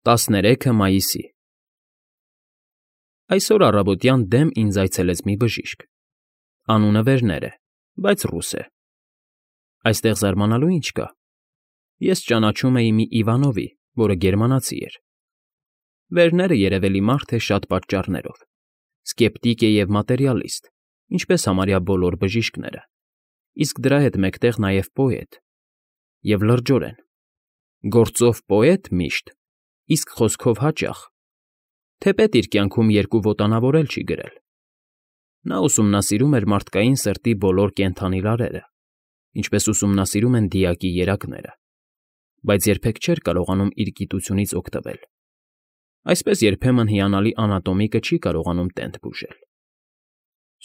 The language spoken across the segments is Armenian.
13 մայիսի Այսօր առավոտյան դեմ ինձ այցելեց մի բժիշկ։ Անունը Վերներ է, բայց ռուս է։ Այստեղ զարմանալու ինչ կա։ Ես ճանաչում էի մի Իվանովի, որը գերմանացի էր։ Վերները երևելի մարդ է շատ պատճառներով, սկեպտիկ է և մատերիալիստ, ինչպես համարյա բոլոր բժիշկները, իսկ դրա հետ մեկտեղ նաև պոետ, և լրջորեն։ Գործով պոետ միշտ, իսկ խոսքով հաճախ, թեպետ իր կյանքում երկու ոտանավոր էլ չի գրել։ Նա ուսումնասիրում էր մարդկային սրտի բոլոր կենդանի լարերը, ինչպես ուսումնասիրում են դիակի երակները, բայց երբեք չէր կարողանում իր գիտությունից օգտվել։ Այսպես երբեմն հիանալի անատոմիկը չի կարողանում տենդ բուժել։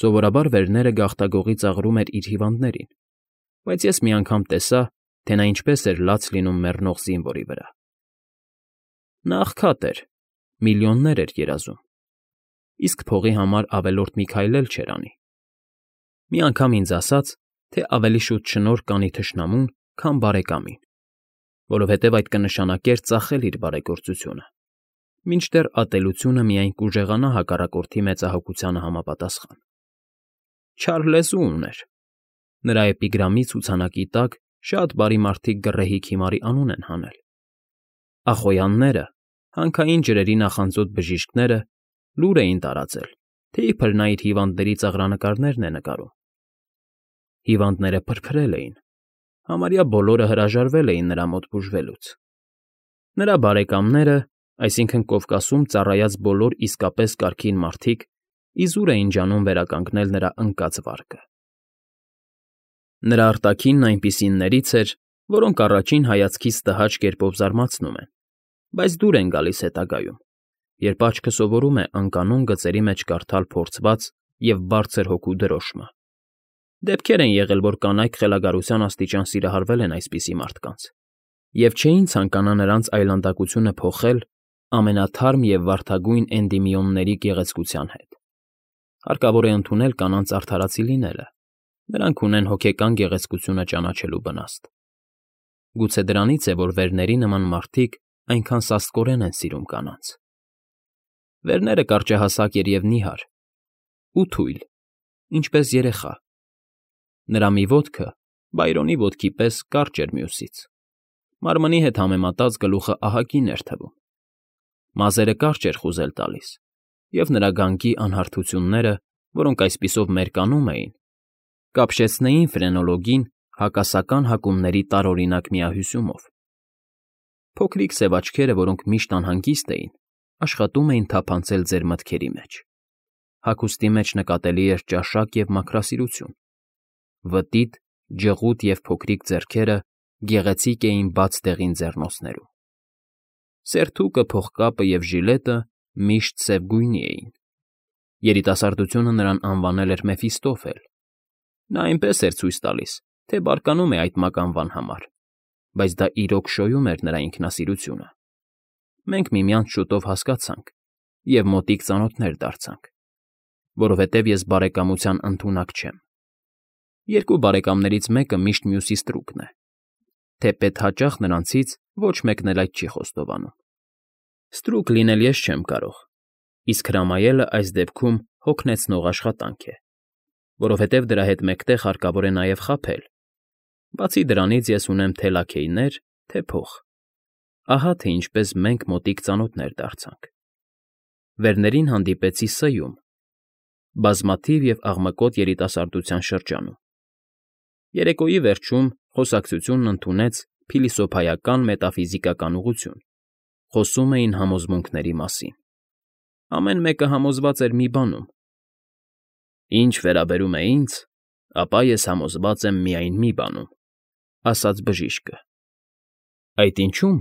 Սովորաբար Վերները գաղտագողի ծաղրում էր իր հիվանդներին, բայց ես մի անգամ տեսա, թե նա ինչպես էր լաց լինում մեռնող զինվորի վրա։ Նա աղքատ էր, միլիոններ էր երազում, իսկ փողի համար ավելորդ մի քայլ էլ չէր անի։ Մի անգամ ինձ ասաց, թե ավելի շուտ շնորհ կանի թշնամուն, քան բարեկամին, որովհետև այդ կնշանակեր ծախել իր բարեգործությունը, մինչդեռ ատելությունը միայն կուժեղանա հակառակորդի մեծահոգությանը համապատասխան։ Չար լեզու ուներ։ Նրա էպիգրամի ցուցանակի տակ շատ բարի մարդիկ գռեհիկ հիմարի անուն են հանել։ Ախոյանները, հանքային ջրերի նախանձոտ բժիշկները լուր էին տարածել, թե իբր նա իր հիվանդների ծաղրանկարներն է նկարում։ Հիվանդները փրփրել էին, համարյա բոլորը հրաժարվել էին նրա մոտ բուժվելուց։ Նրա բարեկամները, այսինքն Կովկասում ծառայած բոլոր իսկապես կարգին մարդիկ, իզուր էին ջանում վերականգնել նրա ընկած վարկը։ Նրա արտաքինն այնպիսիններից էր, որոնք առաջին հայացքից տհաճ կերպով զարմացնում են, բայց դուր են գալիս հետագայում, երբ աչքը սովորում է անկանոն գծերի մեջ կարդալ փորձված և բարձր հոգու դրոշմը։ Դեպքեր են եղել, որ կանայք խելագարության աստիճան սիրահարվել են այսպիսի մարդկանց, և չէին ցանկանա նրանց այլանդակությունը փոխել ամենաթարմ և վարդագույն էնդիմիոնների գեղեցկության հետ։ Հարկավոր է ընդունել կանանց արդարացի լինելը, նրանք ունեն հոգեկան գեղեցկությունը ճանաչելու բնաստ։ Գուցե դրանից է, որ Վերների նման մարդիկ այնքան սաստկորեն են սիրում կանանց։ Վերները կարճահասակ էր և նիհար, ու թույլ, ինչպես երեխա։ Նրա մի ոտքը Բայրոնի ոտքի պես կարճ էր մյուսից։ Մարմնի հետ համեմատած գլուխը ահագին էր թվում։ Մազերը կարճ էր խուզել տալիս, և նրա գանգի անհարթությունները, որոնք այսպիսով մերկանում էին, կապշեցնեին ֆրենոլոգին հակասական հակումների տարօրինակ միահյուսումով։ Փոքրիկ սև աչքերը, որոնք միշտ անհանգիստ էին, աշխատում էին թափանցել ձեր մտքերի մեջ։ Հագուստի մեջ նկատելի էր ճաշակ և մաքրասիրություն։ Վտիտ, ջղուտ և փոքրիկ ձեռքերը գեղեցիկ էին բաց դեղին ձեռնոցներում։ Սերթուկը, փողկապը և ժիլետը միշտ սև գույնի էին։ Երիտասարդությունը նրան անվանել էր Մեֆիստոֆել։ Նա այնպես էր ցույց տալիս, թե բարկանում է այդ մականվան համար, բայց դա իրոք շոյում էր նրա ինքնասիրությունը։ Մենք միմյանց շուտով հասկացանք և մոտիկ ծանոթներ դարձանք, որովհետև ես բարեկամության ընդունակ չեմ։ Երկու բարեկամներից մեկը միշտ մյուսի ստրուկն է, թեպետ հաճախ նրանցից ոչ մեկն էլ այդ չի խոստովանում։ Ստրուկ լինել ես չեմ կարող, իսկ հրամայելը այս դեպքում հոգնեցնող աշխատանք է, որովհետև դրա հետ մեկտեղ հարկավոր է նաև խաբել։ Բացի դրանից ես ունեմ թե լաքեյներ, թե փող։ Ահա թե ինչպես մենք մոտիկ ծանոթներ դարձանք։ Վերներին հանդիպեցի Ս֊ում, բազմաթիվ և աղմկոտ երիտասարդության շրջանում։ Երեկոյի վերջում խոսակցությունն ընդունեց փիլիսոփայական մետաֆիզիկական ուղղություն, խոսում էին համոզմունքների մասին։ Ամեն մեկը համոզված էր մի բանում։ Ինչ վերաբերում է ինձ, ապա ես համոզված եմ միայն մի բանում, ասաց բժիշկը։ Այդ ինչու՞մ,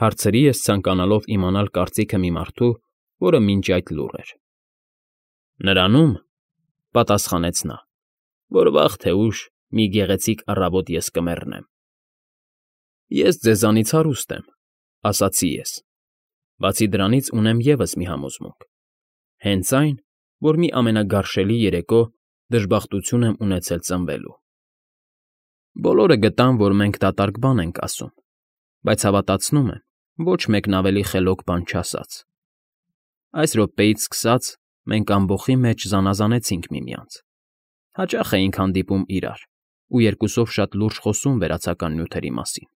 հարցրի ես, ցանկանալով իմանալ կարծիքը մի մարդու, որը մինչ այդ լուռ էր։ Նրանում, պատասխանեց նա, որ վաղ թե ուշ մի գեղեցիկ առավոտ ես կմեռնեմ։ Ես ձեզանից հարուստ եմ, ասացի ես։ Բացի դրանից ունեմ ևս մի համոզմունք։ Հենց այն, որ մի ամենագարշելի երեկո դժբախտություն եմ ունեցել ծնվելու։ Բոլորը գտան, որ մենք դատարկ բան ենք ասում, բայց հավատացնում եմ, ոչ մեկն ավելի խելոք բան չասաց։ Այս րոպեից սկսած մենք ամբոխի մեջ զանազանեցինք միմյանց. հաճախ էինք հանդիպում իրար ու երկուսով շատ լուրջ խոսում վերացական նյութերի մասին,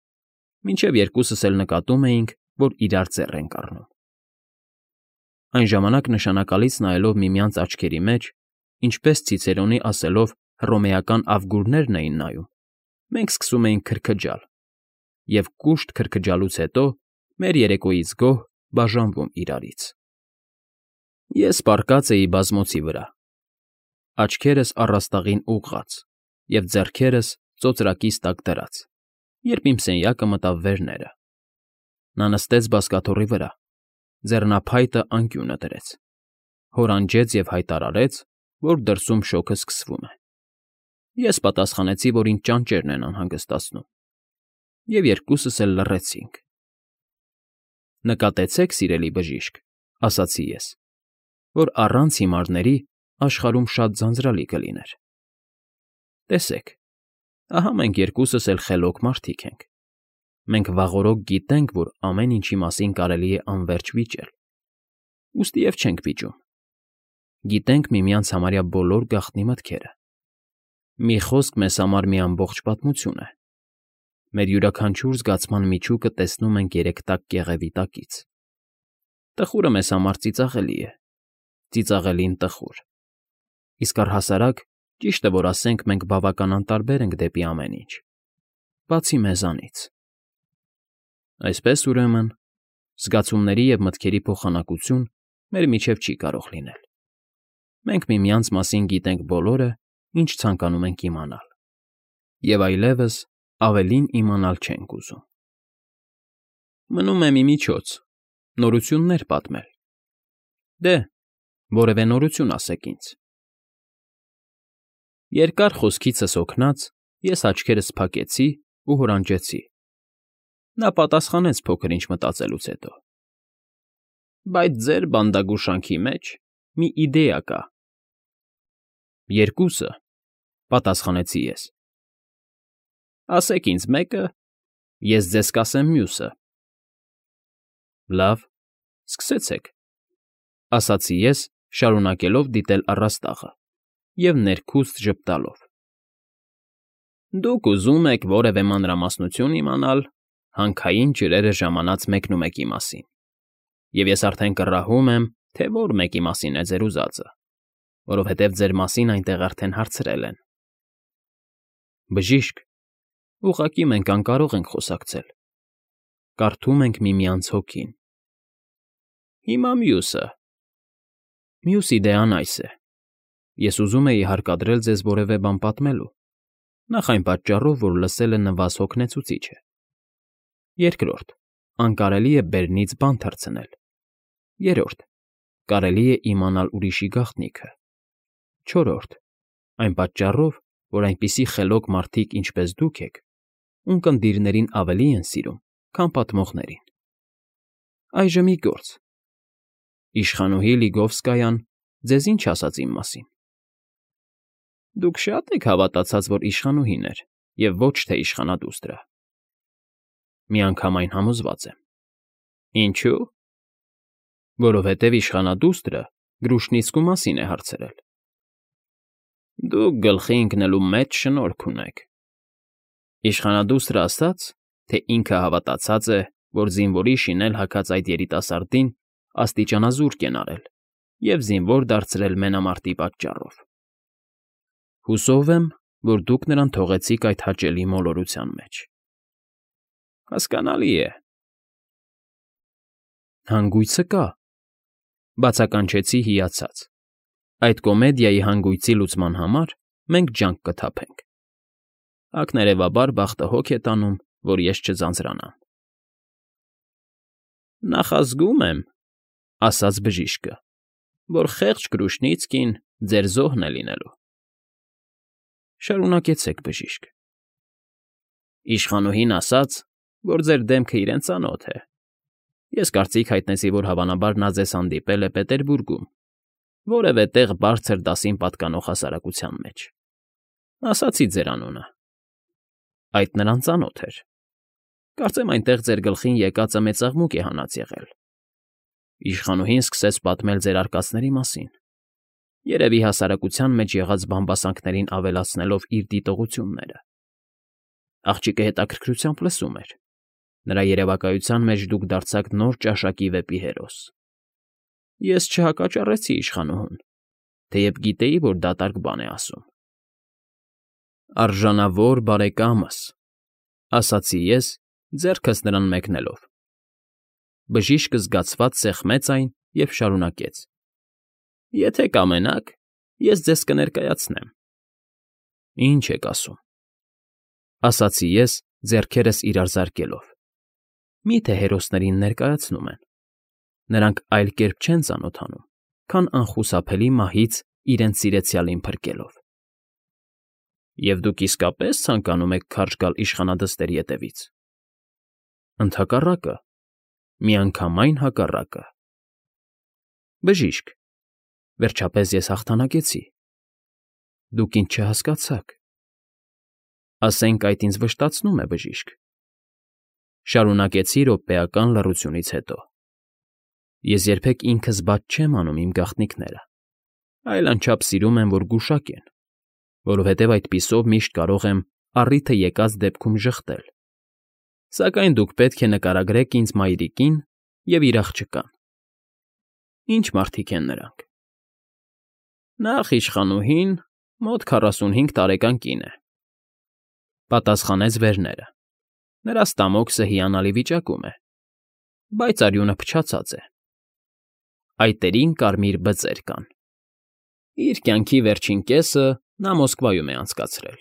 մինչև երկուսս էլ նկատում էինք, որ իրար ձեռ ենք առնում։ Այն ժամանակ նշանակալից նայելով միմյանց աչքերի մեջ, ինչպես Ցիցերոնի ասելով հռոմեական ավգուրներն էին նայում, մենք սկսում էինք քրքջալ, և կուշտ քրքջալուց հետո մեր երեկոյից գոհ բաժանվում իրարից։ Ես պառկած էի բազմոցի վրա, աչքերս առաստաղին ուղղած և ձեռքերս ծոծրակիս տակ դրած, երբ իմ սենյակը մտավ վերները։ Նա նստեց բազկաթոռի վրա, ձեռնափայտը անկյունը դրեց, հորանջեց և հայտարարեց, որ դրսում շոգը սկսվում է։ Ես պատասխանեցի, որ ինձ ճանճերն են անհանգստացնում, և երկուսս էլ լռեցինք։ Նկատեցե՞ք, սիրելի բժիշկ, ասացի ես, որ առանց հիմարների աշխարհում շատ ձանձրալի կլիներ։ Տեսեք, ահա մենք երկուսս էլ խելոք մարդիկ ենք։ Մենք վաղօրոք գիտենք, որ ամեն ինչի մասին կարելի է անվերջ վիճել, ուստի և չենք վիճում։ Գիտենք միմյանց համարյա բոլոր գաղտնի մտքերը։ Մի խոսք մեզ համար մի ամբողջ պատմություն է։ Մեր յուրաքանչյուր զգացման միջուկը տեսնում ենք երեքտակ կեղևի տակից։ Տխուրը մեզ համար ծիծաղելի է, ծիծաղելին տխուր։ Իսկ առհասարակ, ճիշտ է, որ ասենք մենք բավական անտարբեր ենք դեպի ամեն ինչ, բացի մեզանից։ Այսպես, ուրեմն, զգացումների և մտքերի փոխանակություն մեր միջև չի կարող լինել։ Մենք միմյանց մասին գիտենք բոլորը, ինչ ցանկանում ենք իմանալ, և այլևս ավելին իմանալ չենք ուզում։ Մնում է մի միջոց, նորություններ պատմել։ Դե, որևէ նորություն ասեք ինձ։ Երկար խոսքիցս հոգնած, ես աչքերս փակեցի ու հորանջեցի։ Նա պատասխանեց փոքր-ինչ մտածելուց հետո. Բայց ձեր բանդագուշանքի մեջ մի իդեա կա։ Երկուսը, պատասխանեցի ես։ Ասեք ինձ մեկը, ես ձեզ կասեմ մյուսը։ Լավ, սկսեցեք, ասացի ես, շարունակելով դիտել առաստաղը և ներքուստ ժպտալով։ Դուք ուզում եք որևէ մանրամասնություն իմանալ, հանքային ջրերը ժամանած մեկնումեկի մասին, և ես արդեն կռահում եմ, թե որ մեկի մասին է ձեր ուզածը, որովհետև ձեր մասին այնտեղ արդեն հարցրել են։ Բժիշկ, ուղղակի մենք անկարող ենք խոսակցել։ Կարդում ենք միմյանց հոգին։ Հիմա մյուսը։ Մյուս իդեան այս է. ես ուզում էի հարկադրել ձեզ որևէ բան պատմելու, նախ այն պատճառով, որ լսելը նվազ հոգնեցուցիչ է։ Երկրորդ, անկարելի է բերնից բան թռցնել։ Երրորդ, կարելի է իմանալ ուրիշի գաղտնիքը։ Չորրորդ, այն պատճառով, որ այնպիսի խելոք մարդիկ, ինչպես դուք եք, ունկնդիրներին ավելի են սիրում, քան պատմողներին։ Այժմ մի գործ։ Իշխանուհի Լիգովսկայան ձեզ ինչ ասաց իմ մասին։ Դուք շա՞տ եք հավատացած, որ իշխանուհին էր, և ոչ թե իշխանադուստրը։ Միանգամայն համոզված եմ։ Ինչո՞ւ։ Որովհետև իշխանադուստրը Գրուշնիցկու մասին է հարցրել։ Դուք գլխի ընկնելու մեծ շնորք ունեք։ Իշխանադուստրը ասաց, թե ինքը հավատացած է, որ զինվորի շինել հագած այդ երիտասարդին աստիճանազուրկ են արել և զինվոր դարձրել մենամարտի պատճառով։ Հուսով եմ, որ դուք նրան թողեցիք այդ հաճելի մոլորության մեջ։ Հասկանալի է։ Հանգույցը կա, բացականչեցի հիացած։ Այդ կոմեդիայի հանգույցի լուծման համար մենք ջանք կթափենք։ Ակներևաբար բախտը հոգ է տանում, որ ես չձանձրանամ։ Նախազգում եմ, ասաց բժիշկը, որ խեղճ Կրուշնիցկին ձեր զոհն է լինելու։ Շարունակեցեք, բժիշկ։ Իշխանուհին ասաց, որ ձեր դեմքը իրեն ծանոթ է։ Ես կարծիք հայտնեցի, որ հավանաբար նա ձեզ հանդիպել է Պետերբուրգում, որևէ տեղ բարձր դասին պատկանող հասարակության մեջ։ Ասացի ձեր անունը։ Այդ նրան ծանոթ էր։ Կարծեմ այնտեղ ձեր գլխին եկածը մեծ աղմուկ է հանած եղել։ Իշխանուհին սկսեց պատմել ձեր արկածների մասին, երևի հասարակության մեջ եղած բամբասանքներին ավելացնելով իր դիտողությունները։ Աղջիկը հետաքրքրությամբ լսում էր։ Նրա երևակայության մեջ դուք դարձաք նոր ճաշակի վեպի հերոս։ Ես չհակաճառեցի իշխանուհուն, թեև գիտեի, որ դատարկ բան է ասում։ Արժանավոր բարեկամս, ասացի ես, ձեռքս նրան մեկնելով։ Բժիշկը զգացված սեղմեց այն և շարունակեց. Եթե կամենաք, ես ձեզ կներկայացնեմ։ Ինչ եք ասում, ասացի ես, ձեռքերս իրար զարկելով։ Միթե հերոսներին ներկայացնում են։ Նրանք այլ կերպ չեն ծանոթանում, քան անխուսափելի մահից իրենց սիրեցյալին փրկելով։ Եվ դուք իսկապես ցանկանում եք քարշ գալ իշխանադստերի ետևից։ Ընդհակառակը, միանգամայն հակառակը։ Բժիշկ, վերջապես ես հաղթանակեցի։ Դուք ինձ չհասկացաք։ Ասենք այդ ինձ վշտացնում է, բժիշկ։ Շարունակեցի րոպեական լռությունից հետո։ Ես երբեք ինքս բաց չեմ անում իմ գաղտնիքները, այլ անչափ սիրում եմ, որ գուշակեն, որովհետև այդպիսով միշտ կարող եմ առիթը եկած դեպքում ժխտել։ Սակայն դուք պետք է նկարագրեք ինձ մայրիկին և իր աղջկան։ Ինչ մարդիկ են նրանք։ Նախ իշխանուհին մոտ 45 տարեկան կին է, պատասխանեց Վերները։ Նրա ստամոքսը հիանալի վիճակում է, բայց արյունը փչացած է։ Այտերին կարմիր բծեր կան։ Իր կյանքի վերջին կեսը նա Մոսկվայում է անցկացրել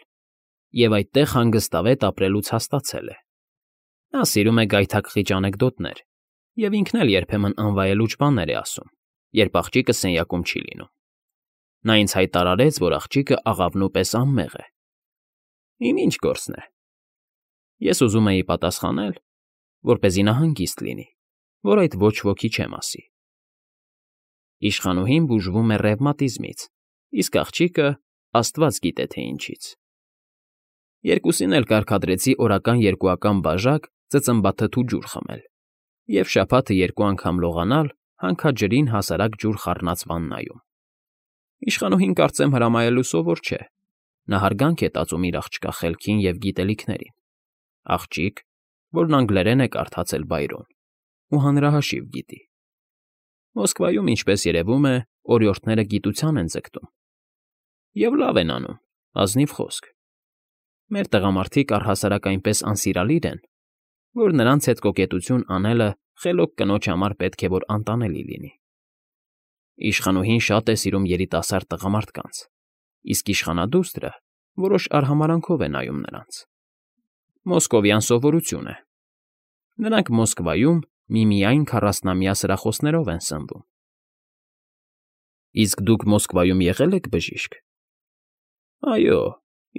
և այդտեղ հանգստավետ ապրելուց հաստացել է։ Նա սիրում է գայթակղիչ անեկդոտներ և ինքն էլ երբեմն անվայելուչ բաներ է ասում, երբ աղջիկը սենյակում չի լինում։ Նա ինձ հայտարարեց, որ աղջիկը աղավնու պես անմեղ է։ Իմ ինչ գործն է։ Ես ուզում էի պատասխանել, որպեսզի նա հանգիստ լինի, որ այդ ոչ ոքի չեմ ասի։ Իշխանուհին բուժվում է ռևմատիզմից, իսկ աղջիկը աստված գիտե թե ինչից։ Երկուսին էլ կարգադրեցի օրական երկուական բաժակ ծծմբաթթու ջուր խմել և շաբաթը 2 անգամ լողանալ հանքաջրին հասարակ ջուր խառնած վաննայում։ Իշխանուհին կարծեմ հրամայելու սովոր չէ։ Նա հարգանք է տածում իր աղջկա խելքին և գիտելիքներին։ Աղջիկ, որն անգլերեն է կարդացել Բայրոն ու հանրահաշիվ գիտի։ Մոսկվայում, ինչպես երևում է, օրիորդները գիտության են ձգտում։ Եվ լավ են անում, ազնիվ խոսք։ Մեր տղամարդիկ առհասարակ այնպես անսիրալիր են, որ նրանց հետ կոկետություն անելը խելոք կնոջ համար պետք է որ անտանելի լինի։ Իշխանուհին շատ է սիրում երիտասարդ տղամարդկանց, իսկ իշխանադուստրը որոշ արհամարանքով է նայում նրանց։ Մոսկովյան սովորություն է։ Նրանք Մոսկվայում միմիայն 40-ամյա սրախոսներով են սնվում։ Իսկ դուք Մոսկվայում եղել եք, բժիշկ։ Այո,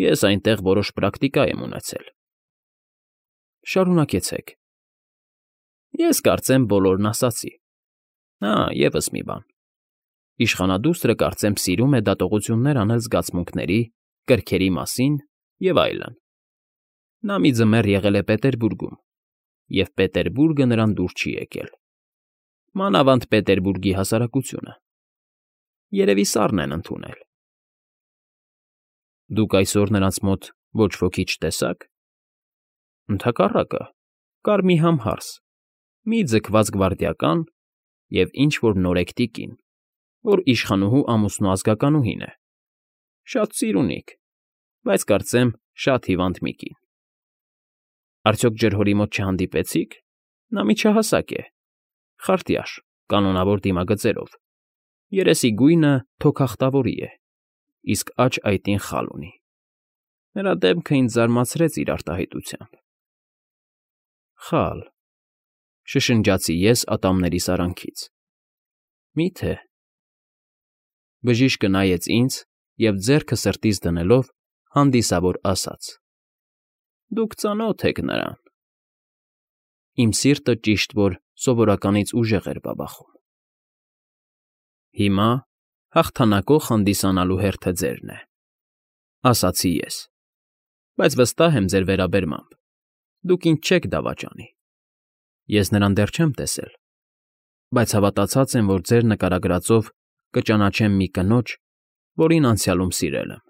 ես այնտեղ որոշ պրակտիկա եմ ունեցել։ Շարունակեցեք։ Ես կարծեմ բոլորն ասացի։ Եվս մի բան։ Իշխանադուստրը կարծեմ սիրում է դատողություններ անել զգացմունքների, կրքերի մասին և այլն։ Նա մի ձմեռ եղել է Պետերբուրգում, և Պետերբուրգը նրան դուր չի եկել։ Մանավանդ Պետերբուրգի հասարակությունը։ Երևի սառն են ընդունել։ Դուք այսօր նրանց մոտ ոչ ոքի չտեսաք։ Ընդհակառակը, կար մի համհարս, մի ձգված գվարդիական և ինչ֊որ նորեկտի կին, որ իշխանուհու ամուսնու ազգականուհին է։ Շատ ծիրունիկ, բայց կարծեմ շատ հիվանդ մի կին։ Արդյոք ջրհորի մոտ չհանդիպեցի՞ք։ Նա միջահասակ է, խարտյաշ, կանոնավոր դիմագծերով, երեսի գույնը թոքախտավորի է, իսկ աջ այտին խալ ունի։ Նրա դեմքը ինձ զարմացրեց իր արտահայտությամբ։ Խալ, շշնջացի ես ատամներիս արանքից։ Մի՞թե։ Բժիշկը նայեց ինձ և ձեռքը սրտից դնելով հանդիսավոր ասաց. Դուք ծանոթ եք նրան։ Իմ սիրտը ճիշտ որ սովորականից ուժեղ էր բաբախում։ Հիմա հաղթանակող հանդիսանալու հերթը ձերն է, ասացի ես, բայց վստահ եմ ձեր վերաբերմամբ։ Դուք ինձ չեք դավաճանի։ Ես նրան դեռ չեմ տեսել, բայց հավատացած եմ, որ ձեր նկարագրածով կճանաչեմ մի կնոջ, որին անցյալում սիրել եմ։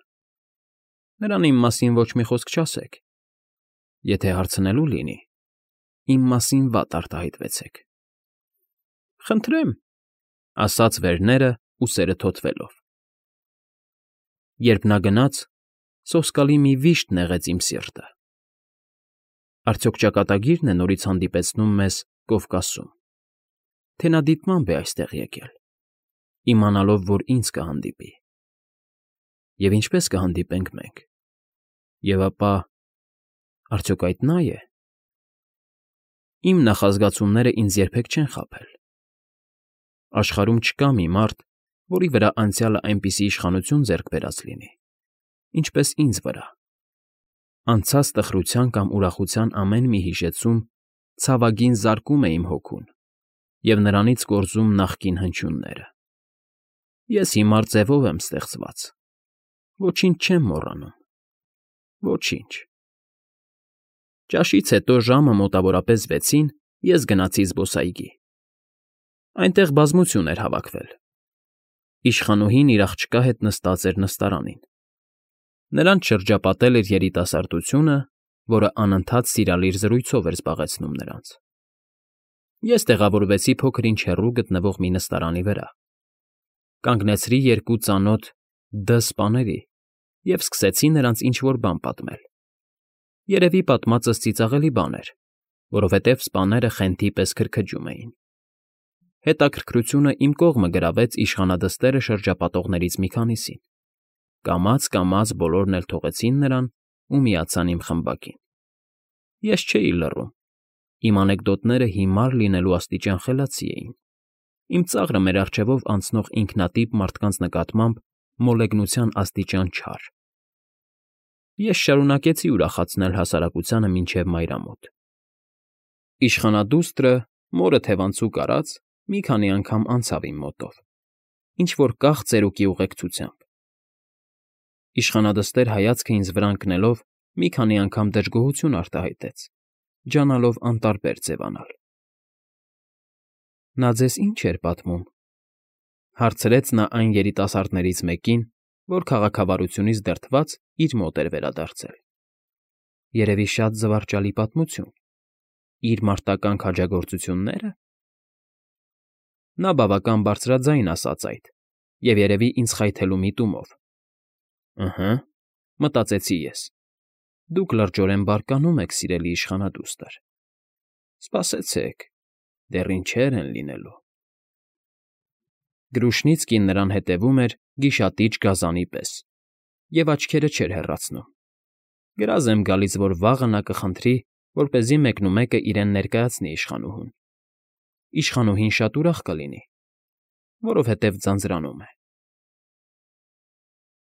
Նրան իմ մասին ոչ մի խոսք չասեք։ Եթե հարցնելու լինի, իմ մասին վատ արտահայտվեցեք։ Խնդրեմ, ասաց Վերները ուսերը թոթվելով։ Երբ նա գնաց, սոսկալի մի վիշտ նեղեց իմ սիրտը։ Արդյոք ճակատագիրն է նորից հանդիպեցնում մեզ Կովկասում, թե նա դիտմամբ է այստեղ եկել, իմանալով, որ ինձ կհանդիպի։ Եվ ինչպես կհանդիպենք մենք։ Եվ ապա, արդյոք այդ նա է։ Իմ նախազգացումները ինձ երբեք չեն խաբել։ Աշխարհում չկա մի մարդ, որի վրա անցյալը այնպիսի իշխանություն ձեռք բերած լինի, ինչպես ինձ վրա։ Անցած տխրության կամ ուրախության ամեն մի հիշեցում ցավագին զարկում է իմ հոգուն և նրանից կորզում նախկին հնչյունները։ Ես հիմար ձևով եմ ստեղծված, ոչինչ չեմ մոռանում, ոչինչ։ Ճաշից հետո ժամը մոտավորապես 6-ին ես գնացի զբոսայգի։ Այնտեղ բազմություն էր հավաքվել։ Իշխանուհին իր աղջկա հետ նստած էր նստարանին։ Նրանց շրջապատել էր երիտասարդությունը, որը անընդհատ սիրալիր զրույցով էր զբաղեցնում նրանց։ Ես տեղավորվեցի փոքր-ինչ հեռու գտնվող մի նստարանի վրա։ Կանգնեցրի երկու ծանոթ սպաների և սկսեցի նրանց ինչ֊որ բան պատմել։ Երևի պատմածս ծիծաղելի բան էր, որովհետև սպաները խենթի պես քրքջում էին։ Հետաքրքրությունը իմ կողմը գրավեց իշխանադստերը շրջապատողներից մի քանիսին։ Կամաց բոլորն էլ թողեցին նրան ու միացան իմ խմբակին։ Ես չէի լռում։ Իմ անեկդոտները հիմար լինելու աստիճան խելացի էին։ Իմ ծաղրը մեր առջևով անցնող ինքնատիպ մարդկանց նկատմամբ մոլեգնության աստիճան չար։ Ես շարունակեցի ուրախացնել հասարակությանը մինչև մայրամոտ։ Իշխանադուստրը, մորը թևանցուկ արած, մի քանի անգամ անցավ իմ մոտով, ինչ֊որ կախ ծերուկի ուղեկցությամբ։ Իշխանադստեր հայացքը ինձ վրա ընկնելով մի քանի անգամ դժգոհություն արտահայտեց, ջանալով անտարբեր ձևանալ։ Նա ձեզ ի՞նչ էր պատմում,֊ հարցրեց նա այն երիտասարդներից մեկին, որ քաղաքավարությունից դրդված իր մոտ էր վերադարձել։ Երևի շատ զվարճալի պատմություն։ Իր մարտական քաջագործություննե՞րը։ Նա բավական բարձրաձայն ասաց այդ և երևի ինձ խայթելու միտումով։ Ըհը, մտածեցի ես, դուք լրջորեն բարկանում եք, սիրելի իշխանադուստր։ Սպասեցեք, դեռ ինչեր են լինելու։ Գրուշնիցկին նրան հետևում էր գիշատիչ գազանի պես և աչքերը չէր հեռացնում։ Գրազ եմ գալիս, որ վաղը նա կխնդրի, որպեսզի մեկնումեկը իրեն ներկայացնի իշխանուհուն։ Իշխանուհին շատ ուրախ կլինի, որովհետև ձանձրանում է։